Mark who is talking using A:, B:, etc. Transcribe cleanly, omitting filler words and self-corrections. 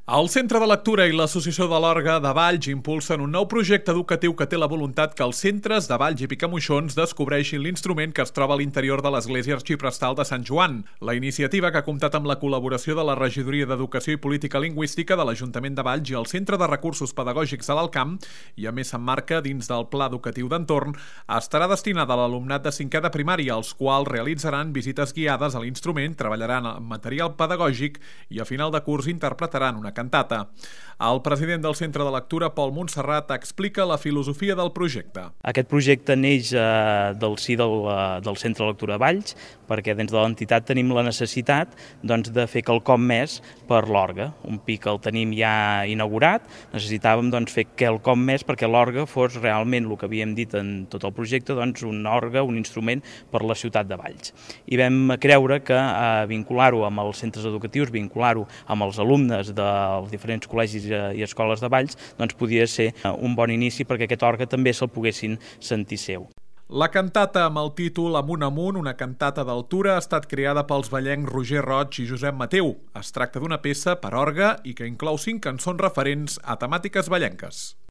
A: El Centre de Lectura i l'Associació de l'Orgue de Valls impulsen un nou projecte educatiu que té la voluntat que els centres de Valls i Picamoixons descobreixin l'instrument que es troba a l'interior de l'Església Arxiprestal de Sant Joan. La iniciativa, que ha comptat amb la col·laboració de la Regidoria d'Educació i Política Lingüística de l'Ajuntament de Valls i el Centre de Recursos Pedagògics de l'Alt Camp, i a més s'emmarca dins del Pla Educatiu d'Entorn, estarà destinada a l'alumnat de 5è de primària, els quals realitzaran visites guiades a l'instrument, treballaran amb material pedagògic i a final de curs interpretaran una cantata. El president del Centre de Lectura, Pol Montserrat, explica la filosofia del projecte.
B: Aquest projecte neix del si del Centre de Lectura de Valls, perquè dins de l'entitat tenim la necessitat de fer quelcom més per l'orgue. Un PIC el tenim ja inaugurat, necessitàvem fer quelcom més perquè l'orgue fos realment el que havíem dit en tot el projecte, un orgue, un instrument per la ciutat de Valls. I vam creure que vincular-ho amb els centres educatius, vincular-ho amb els alumnes dels diferents col·legis i escoles de Valls, podia ser un bon inici perquè aquest orgue també se'l poguessin sentir seu.
A: La cantata amb el títol Amunt Amunt, una cantata d'altura, ha estat creada pels vallencs Roger Roig i Josep Mateu. Es tracta d'una peça per orgue i que inclou 5 cançons referents a temàtiques vallenques.